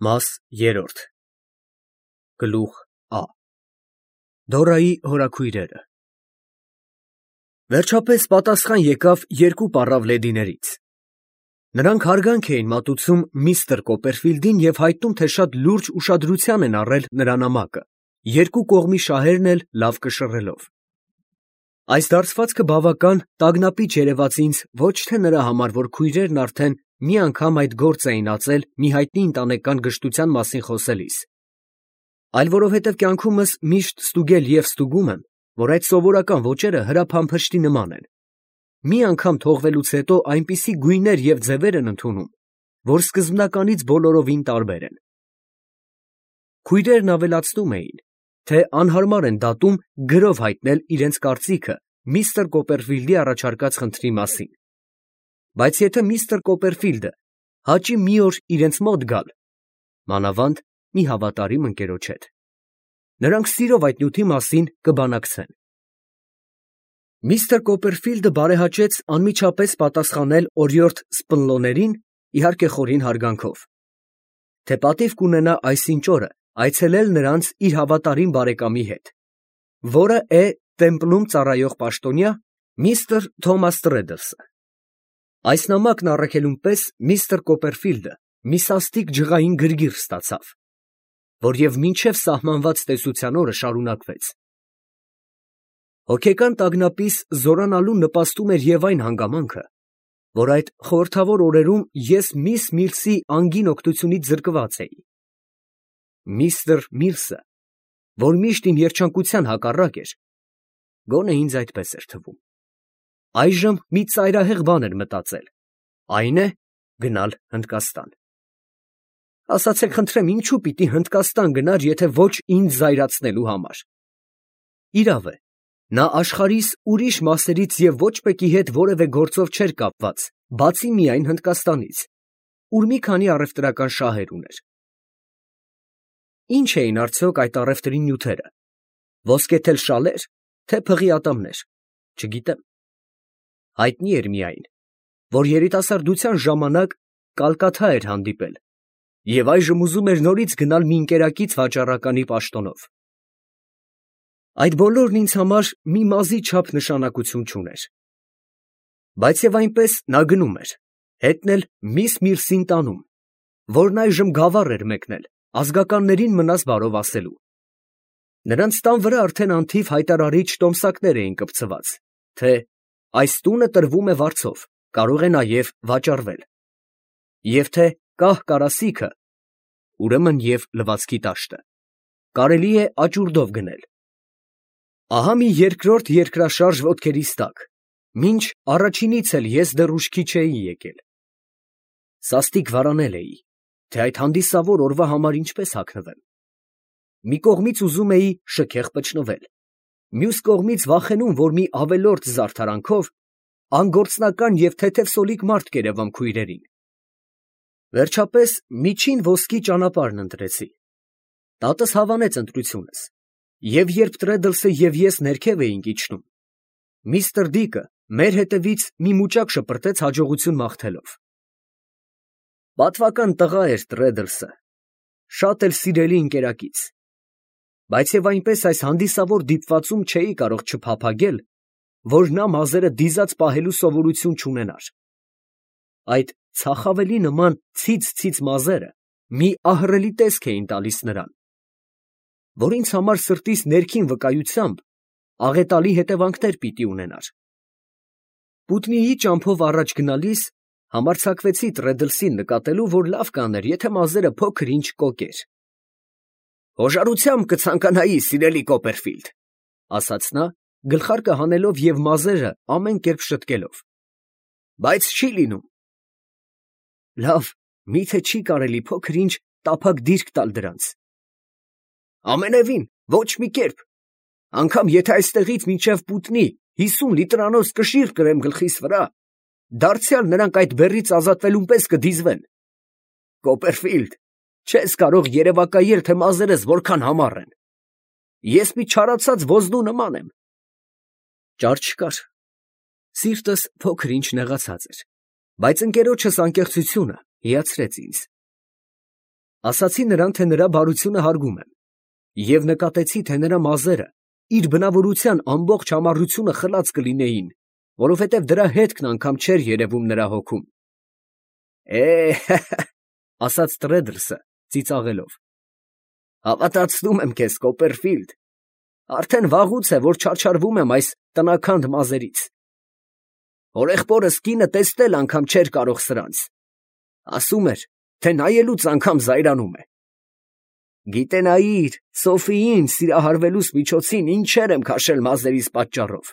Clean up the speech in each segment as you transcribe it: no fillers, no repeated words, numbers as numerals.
Մաս երրորդ Գլուխ Ա Դորայի հորաքույրերը Վերջապես պատասխան եկավ երկու պառավլեդիներից։ Նրանք հարգանք էին մատուցում միստր Կոպերֆիլդին և հայտնում, թե շատ լուրջ ուշադրության են առել նրա նամակը, երկու կողմի շահերն էլ լավ կշռելով։ Այս դարձվածքը բավական տագնապիչ երևաց ինձ ոչ թե նրա համար, որ քույրերն արդեն մի անգամ այդ գործ էին ածել մի հայտնի ընտանեկան գժտության մասին խոսելիս, այլ որովհետև կյանքումս միշտ ստուգել և ստուգում եմ, որ այդ սովորական ոճերը հրափամփշտի նման են։ Մի անգամ թողվելուց հետո այնպիսի գույներ և ձևեր են ընդունում, որ սկզբնականից բոլորովին տարբեր են։ Քույրերն ավելացնում էին, թե անհարմար են դատում գրով հայտնել իրենց կարծիքը միստր Կոպերֆիլդի առաջարկած խնդրի մասին։ Բայց եթե միստր Կոպերֆիլդը հաճի մի օր իրենց մոտ գալ, մանավանդ մի հավատարիմ ընկերոջ հետ, նրանք սիրով այդ նյութի մասին կբանակցեն։ Միստր Կոպերֆիլդը բարեհաճեց անմիջապես պատասխանել օրիորդ Սպնլոներին, իհարկե խորին հարգանքով, թե պատիվ կունենա այսինչ օրը այցելել նրանց իր հավատարիմ բարեկամի հետ, որը է տեմպլում ծառայող պաշտոնյա միստր Թոմաս Տրեդլսը։ Այս նամակն առաքելուն պես միստր Կոպերֆիլդը մի սաստիկ ջղային գրգիռ ստացավ, որ և մինչև սահմանված տեսության օրը շարունակվեց։ Հոգեկան տագնապիս զորանալուն նպաստում էր և այն հանգամանքը, որ այդ խորհրդավոր օրերում ես միս Միլսի անգին օգնությունից զրկված էի։ Միստր Միլսը, որ միշտ իմ երջանկության հակառակ էր, գոնե ինձ այդպես էր թվում, այժմ մի ծայրահեղ բան էր մտածել, այն է գնալ Հնդկաստան։ Ասացեք խնդրեմ, ինչու պիտի Հնդկաստան գնար, եթե ոչ ինձ զայրացնելու համար։ Իրավ է, նա աշխարհիս ուրիշ մասերից և ոչ մեկի հետ որևէ գործով չէր կապված, բացի միայն Հնդկաստանից, ուր մի քանի առևտրական շահեր ուներ։ Ինչ էին արդյոք այդ առևտրի նյութերը, ոսկեթել շալեր, թե փղի ատամներ, չգիտեմ։ Հայտնի էր միայն, որ երիտասարդության ժամանակ Կալկաթա էր հանդիպել և այժմ ուզում էր նորից գնալ մի ընկերակից վաճառականի պաշտոնով։ Այդ բոլորն ինձ համար մի մազի չափ նշանակություն չուներ։ Բայց և այնպես նա գնում էր, հետն էլ միս Միլսին տանում, որն այժմ գավառ էր մեկնել, ազգականներին մնաս բարով ասելու։ Նրանց տան վրա արդեն անթիվ հայտարարիչ տոմսակներ էին կպցված, թե այս տունը տրվում է վարձով, կարող է նաև վաճառվել, և թե կահ կարասիքը, ուրեմն և լվացքի տաշտը, կարելի է աճուրդով գնել։ Ահա մի երկրորդ երկրաշարժ ոտքերիս տակ, մինչ առաջինից էլ ես դեռ ուշքի չէի եկել։ Սաստիկ վարանել էի, թե այդ հանդիսավոր օրվա համար ինչպես հագնվեմ։ Մի կողմից ուզում էի շքեղ պճնվել, մյուս կողմից վախենում, որ մի ավելորդ զարդարանքով անգործնական և թեթևսոլիկ մարդ կերևամ քույրերին։ Վերջապես միջին ոսկի ճանապարհն ընտրեցի։ Տատս հավանեց ընտրությունս, և երբ Տրեդլսը և ես ներքև էինք իջնում, միստր Դիկը մեր հետևից մի մուճակ շպրտեց հաջողություն մաղթելով։ Պատվական տղա էր Տրեդլսը, շատ էլ սիրելի ընկերակից, բայց և այնպես այս հանդիսավոր դիպվածում չէի կարող չփափագել, որ նա մազերը դիզած պահելու սովորություն չունենար։ Այդ ցախավելի նման ցից մազերը մի ահռելի տեսք էին տալիս նրան, որ ինձ համար սրտիս ներքին վկայությամբ աղետալի հետևանքներ պիտի ունենար։ Պուտնիի ճամփով առաջ գնալիս համարձակվեցի Տրեդլսին նկատելու, որ լավ կաներ, եթե մազերը փոքր-ինչ կոկեր։ «Հոժարությամբ կցանկանայի, սիրելի Կոպերֆիլդ», ասաց նա, գլխարկը հանելով և մազերը ամեն կերպ շտկելով, բայց չի լինում։ Լավ, մի՞թե չի կարելի փոքր-ինչ տափակ դիրք տալ դրանց։ Ամենևին, ոչ մի կերպ, անգամ եթե այստեղից մինչև Պուտնի 50 լիտրանոց կշիռ կրեմ գլխիս վրա, դարձյալ նրանք այդ բեռից ազատվելուն պես կդիզվեն։ Կոպերֆիլդ, չես կարող երևակայել, թե մազերս որքան համառ են։ Ես մի չարացած ոզնու նման եմ։ Ճար չկար։ Սիրտս փոքր-ինչ նեղացած էր, բայց ընկերոջս անկեղծությունը հիացրեց ինձ։ Ասացի նրան, թե նրա բարությունը հարգում եմ, և նկատեցի, թե նրա մազերը իր բնավորության ամբողջ համառությունը խլած կլինեին, որովհետև դրա հետքն անգամ չէր երևում նրա հոգում։ Ասաց Տրեդլսը ծիծաղելով, հավատացնում եմ քեզ, Կոպերֆիլդ, արդեն վաղուց է, որ չարչարվում եմ այս տնաքանդ մազերից։ Հորեղբորս կինը տեսնել անգամ չէր կարող սրանց, ասում էր, թե նայելուց անգամ զայրանում է։ Գիտենայիր, Սոֆիին սիրահարվելուս միջոցին ինչեր եմ քաշել մազերիս պատճառով։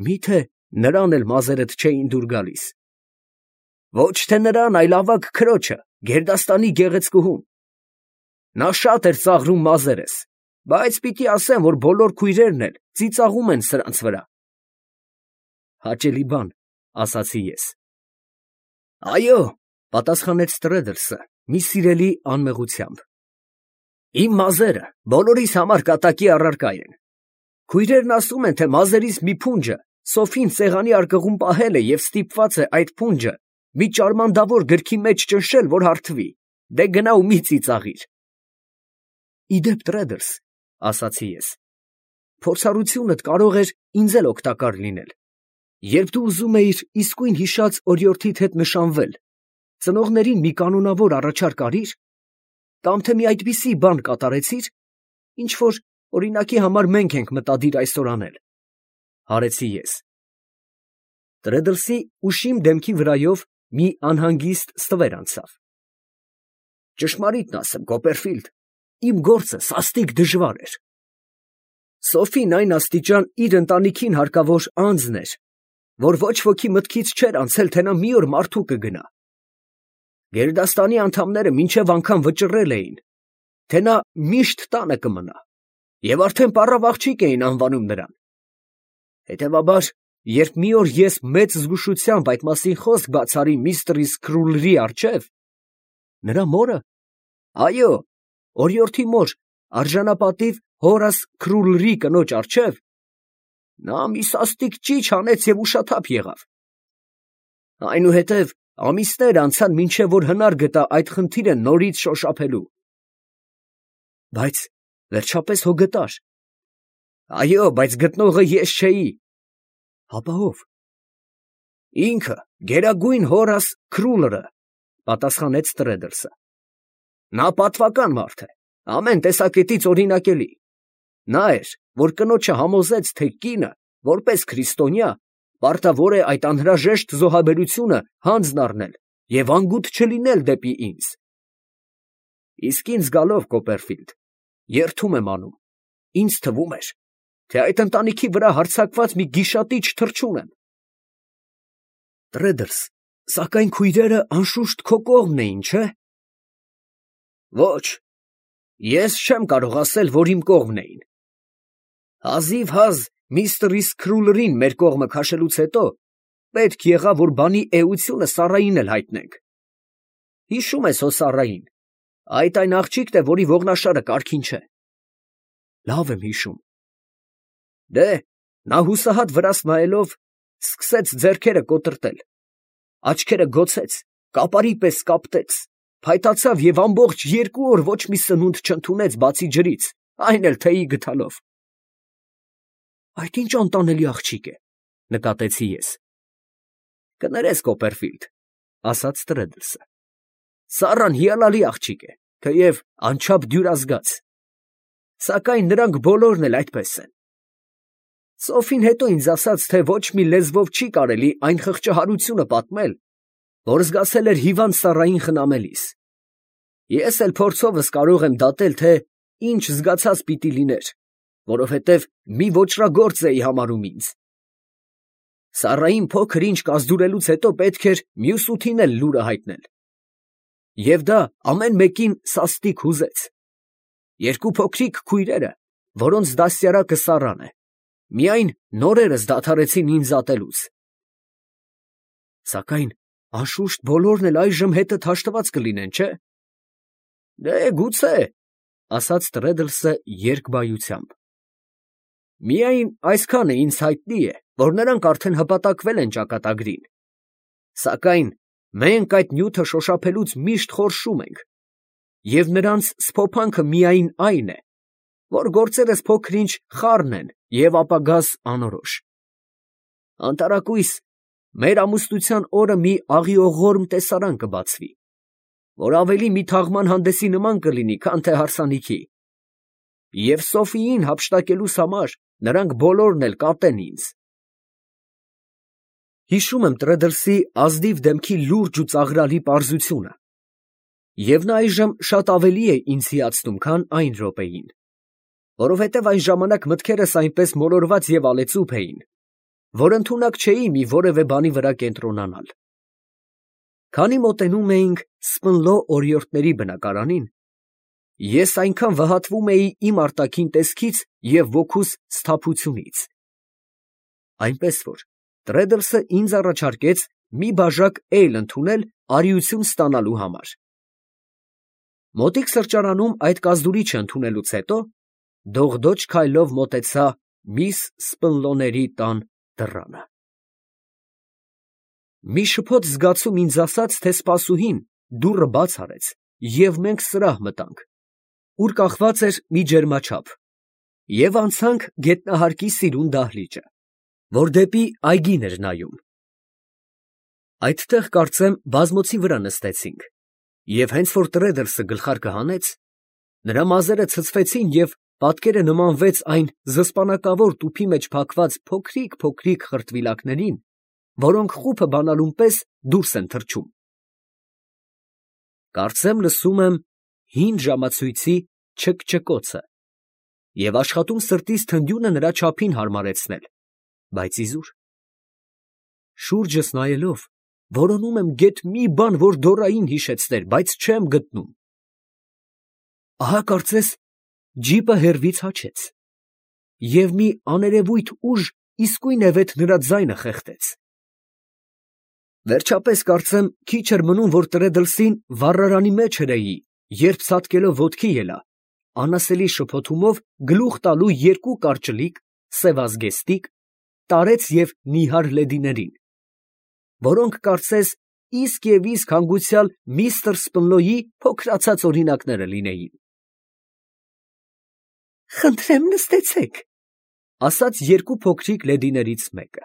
Միթե նրան էլ մազերդ չէին դուր գալիս։ Ոչ թե նրան, այլ ավագ քրոջը, գերդաստանի գեղեցկուհուն։ Նա շատ էր ծաղրում մազերս, բայց պիտի ասեմ, որ բոլոր քույրերն էլ ծիծաղում են սրանց վրա։ Հաճելի բան, ասացի ես։ Այո, պատասխանեց Տրեդլսը մի սիրելի անմեղությամբ։ Իմ մազերը բոլորիս համար կատակի առարկա են։ Քույրերն ասում են, թե մազերիս մի փունջը Սոֆին սեղանի արկղում պահել է և ստիպված է այդ փունջը մի ճարմանդավոր գրքի մեջ ճնշել, որ հարթվի։ Դե գնա ու մի ծիծաղիր։ Իդեպ Տրեդլս, ասացի ես, փորձառությունդ կարող էր ինձ էլ օգտակար լինել։ Երբ դու ուզում էիր իսկույն հիշած օրիորդիդ հետ նշանվել, ծնողներին մի կանոնավոր առաջարկ արիր, կամ թե մի այդպիսի բան կատարեցիր, ինչ որ օրինակի համար մենք ենք մտադիր այսօր անել, հարեցի ես։ Տրեդլսի ուշիմ դեմքի վրայով մի անհանգիստ ստվեր անցավ։ Ճշմարիտն ասեմ, Կոպերֆիլդ, իմ գործը սաստիկ դժվար էր։ Սոֆին այն աստիճան իր ընտանիքին հարկավոր անձն էր, որ ոչ ոքի մտքից չէր անցել, թե նա մի օր մարդու կգնա։ Գերդաստանի անդամները մինչև անգամ վճռել էին, թե նա միշտ տանը կմնա, և արդեն պառավ աղջիկ էին անվանում նրան։ Հետևաբար, երբ մի օր ես մեծ զգուշությամբ այդ մասին խոսք բացարի միստր Սքրուլրի առջև, նրա մորը, այո, օրիորդի մոր, արժանապատիվ Հորաս Քրուլրի կնոջ առջև, նա մի սաստիկ ճիչ հանեց և ուշաթափ եղավ։ Այնուհետև ամիսներ անցան, մինչև որ հնար գտա այդ խնդիրը նորից շոշափելու։ Բայց վերջապես հո գտար։ Այո, բայց գտնողը ես չէի։ Հապա ով։ Ինքը, գերագույն Հորաս Քրուլրը, պատասխանեց Տրեդլսը։ Նա պատվական մարդ է, ամեն տեսակետից օրինակելի։ Նա էր, որ կնոջը համոզեց, թե կինը, որպես քրիստոնյա, պարտավոր է այդ անհրաժեշտ զոհաբերությունը հանձն առնել և անգութ չլինել դեպի ինձ։ Իսկ ինձ գալով, Կոպերֆիլդ, երդում եմ անում, ինձ թվում էր, թե այդ ընտանիքի վրա հարձակված մի գիշատիչ թռչուն եմ։ Տրեդլս, սակայն քույրերը անշուշտ քո կողմն էին, չէ՞։ Ոչ, ես չեմ կարող ասել, որ իմ կողմն էին։ Հազիվ միստր Սքրուլրին մեր կողմը քաշելուց հետո պետք եղավ, որ բանի էությունը Սառային էլ հայտնենք։ Հիշում ես հո Սառային, այն աղջիկն է, որի ողնաշարը կարգին չէ։ Լավ եմ հիշում։ Դե, նա հուսահատ վրաս նայելով սկսեց ձեռքերը կոտրտել, աչքերը գոցեց, կապարի պես կապտեց, փայտացավ և ամբողջ 2 օր ոչ մի սնունդ չընդունեց բացի ջրից, այն էլ թեյի գդալով։ Այդ ինչ անտանելի աղջիկ է, նկատեցի ես։ Կներես, Կոպերֆիլդ, ասաց Տրեդլսը։ Սառան հիանալի աղջիկ է, թեև անչափ դյուրազգաց։ Սակայն նրանք բոլորն էլ այդպես են։ Սոֆին հետո ինձ ասաց, թե ոչ մի լեզվով չի կարելի այն խղճահարությունը պատմել, որ զգացել էր հիվանդ Սառային խնամելիս։ Ես էլ փորձովս կարող եմ դատել, թե ինչ զգացած պիտի լիներ, որովհետև մի ոճրագործ էի համարում ինձ։ Սառային փոքր ինչ կազդուրելուց հետո պետք էր մյուս 8-ին էլ լուրը հայտնել։ Եվ դա ամեն մեկին սաստիկ հուզեց։ 2 փոքրիկ քույրերը, որոնց դաստիարակը Սառան է, միայն նորերս դադարեցին ինձ ատելուց։ Սակայն անշուշտ բոլորն էլ այժմ հետդ հաշտված կլինեն, չէ՞։ Դե գուցե, ասաց Տրեդլսը երկբայությամբ։ Միայն այսքանը ինձ հայտնի է, որ նրանք արդեն հպատակվել են ճակատագրին։ Սակայն մենք այդ նյութը շոշափելուց միշտ խորշում ենք, և նրանց սփոփանքը միայն այն է, որ գործերս փոքր-ինչ խառն են և ապագաս անորոշ։ Անտարակույս մեր ամուսնության օրը մի աղիողորմ տեսարան կբացվի, որ ավելի մի թաղման հանդեսի նման կլինի, քան թե հարսանիքի, և Սոֆիին հափշտակելուս համար նրանք բոլորն էլ կատեն ինձ։ Հիշում եմ Տրեդլսի ազնիվ դեմքի լուրջ ու ծաղրալի պարզությունը, և նա այժմ շատ ավելի է ինձ հիացնում, քան այն րոպեին, որովհետև այն ժամանակ մտքերս այնպես մոլորված և ալեծուփ էին, որ ընդունակ չէի մի որևէ բանի վրա կենտրոնանալ։ Քանի մոտենում էինք Սպնլո օրիորդների բնակարանին, ես այնքան վհատվում էի իմ արտաքին տեսքից և ոգուս սթափությունից, այնպես որ Տրեդլսը ինձ առաջարկեց մի բաժակ էյլ ընդունել արիություն ստանալու համար։ Մոտիկ սրճարանում այդ կազդուրիչը ընդունելուց հետո դողդոջ քայլով մոտեցա միս Սպնլոների տան դռանը։ Մի շփոթ զգացում ինձ ասաց, թե սպասուհին դուռը բաց արեց, և մենք սրահ մտանք, ուր կախված էր մի ջերմաչափ, և անցանք գետնահարկի սիրուն դահլիճը, որ դեպի այգին էր նայում։ Այդտեղ, կարծեմ, բազմոցի վրա նստեցինք, և հենց որ Տրեդլսը գլխարկը հանեց, նրա մազերը ցցվեցին և պատկերը նմանվեց այն զսպանակավոր տուփի մեջ փակված փոքրիկ խրտվիլակներին, որոնք խուփը բանալուն պես դուրս են թռչում։ Կարծեմ լսում եմ հին ժամացույցի չկչկոցը և աշխատում սրտիս թնդյունը նրա չափին հարմարեցնել, բայց իզուր։ Շուրջս նայելով, որոնում եմ գեթ մի բան, որ դոռային հիշեցներ, բայց չեմ գտնում։ Ահա կարծես ջիպը հեռվից հաչեց, և մի աներևույթ ուժ իսկույնևեթ նրա ձայնը խեղդեց։ Վերջապես, կարծեմ, քիչ էր մնում, որ Տրեդլսին վառարանի մեջ հրեի, երբ ցատկելով ոտքի ելա, անասելի շփոթումով գլուխ տալու երկու կարճլիկ, սևազգեստիկ, տարեց և նիհար լեդիներին, որոնք կարծես իսկ և իսկ հանգուցյալ միստր Սպնլոյի փոքրացած օրինակները լինեին։ «Խնդրեմ նստեցեք», ֊ ասաց երկու փոքրիկ լեդիներից մեկը։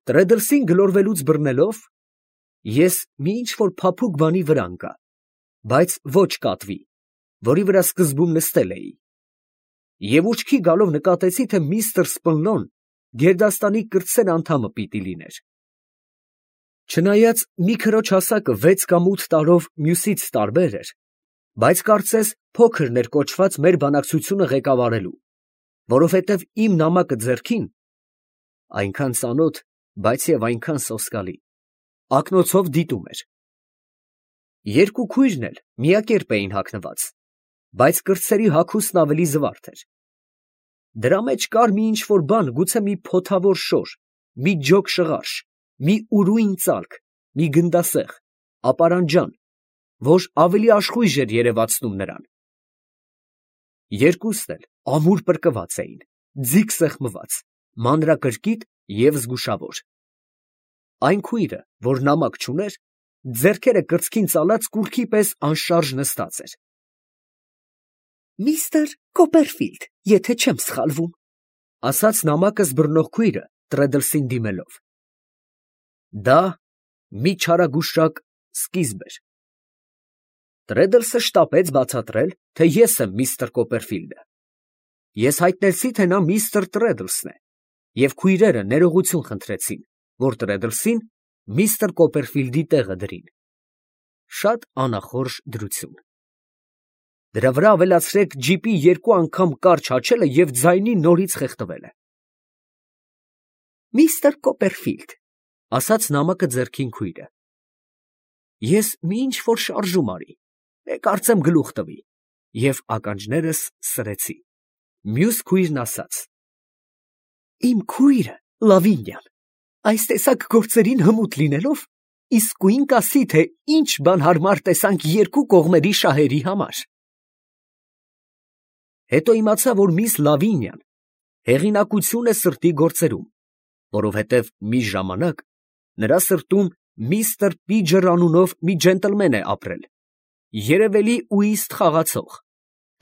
Տրեդլսին գլորվելուց բռնելով, ես մի ինչ֊որ փափուկ բանի վրա ընկա, բայց ոչ կատվի, որի վրա սկզբում նստել էի, և ուշքի գալով նկատեցի, թե միստր Սպնլոն գերդաստանի կրտսեր անդամը պիտի լիներ։ Չնայած մի քրոջ հասակը 6 կամ 8 տարով մյուսից տարբեր էր, բայց կարծես փոքրն էր կոչված մեր բանակցությունը ղեկավարելու, որովհետև իմ նամակը ձեռքին (այնքան ծանոթ, բայց և այնքան սոսկալի) ակնոցով դիտում էր։ Երկու քույրն էլ միակերպ էին հագնված, բայց կրտսերի հագուստն ավելի զվարթ էր։ Դրա մեջ կար մի ինչ֊որ բան, գուցե մի փոթավոր շոր, մի ջոկ շղարշ, մի ուրույն ծալք, մի գնդասեղ, ապարանջան, որ ավելի աշխույժ էր երևացնում նրան։ Երկուսն էլ ամուր պրկված էին, ձիգ սեղմված, մանրակրկիտ և զգուշավոր։ Այն քույրը, որ նամակ չուներ, ձեռքերը կրծքին ծալած կուռքի պես անշարժ նստած էր։ «Միստր Կոպերֆիլդ, եթե չեմ սխալվում, ֊ ասաց նամակս բռնող քույրը Տրեդլսին դիմելով։ Դա մի չարագուշակ սկիզբ էր։ Տրեդլսը շտապեց բացատրել, թե ես եմ միստր Կոպերֆիլդը։ Ես հայտնեցի, թե նա միստր Տրեդլսն է, և քույրերը ներողություն խնդրեցին, որ Տրեդլսին միստր Կոպերֆիլդի տեղը դրին։ Շատ անախորժ դրություն։ Դրա վրա ավելացրեք ջիպի 2 անգամ կարճ հաչելը և ձայնի նորից խեղդվելը։ «Միստր Կոպերֆիլդ, ֊ ասաց նամակը ձեռքին քույրը, ֊ ես մի ինչ֊որ շարժում արի, կարծեմ գլուխ տվի, և ականջներս սրեցի»։ Մյուս քույրն ասաց. «Իմ քույրը Լավինյան այս տեսակ գործերին հմուտ լինելով, իսկույն կասի, թե ինչ բան հարմար տեսանք երկու կողմերի շահերի համար»։ Հետո իմացա, որ միս Լավինյան հեղինակություն է սրտի գործերում, որովհետև մի ժամանակ նրա սրտում միստր Պիջր անունով մի ջենտլմեն է ապրել, երևելի ուիստ խաղացող,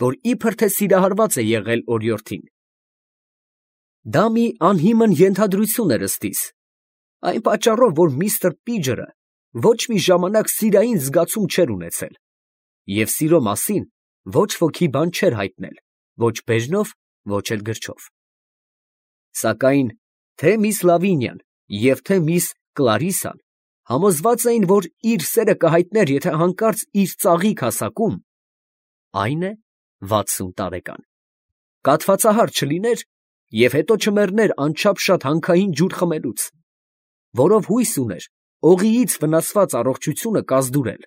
որ իբր թե սիրահարված է եղել օրիորդին։ Դա մի անհիմն ենթադրություն էր ըստիս, այն պատճառով, որ միստր Պիջերը ոչ մի ժամանակ սիրային զգացում չէր ունեցել, և սիրո մասին ոչ ոքի բան չէր հայտնել, ոչ բեժնով, ոչ էլ գրչով։ Սակայն թե միս Լավինիան և թե միս Կլարիսան համոզված էին, որ իր սերը կհայտներ, եթե հանկարծ իր ծաղիկ հասակում, այն է 60 տարեկան, կաթվածահար չլիներ և հետո չմեռներ անչափ շատ հանքային ջուր խմելուց, որով հույս ուներ օղիից վնասված առողջությունը կազդուրել։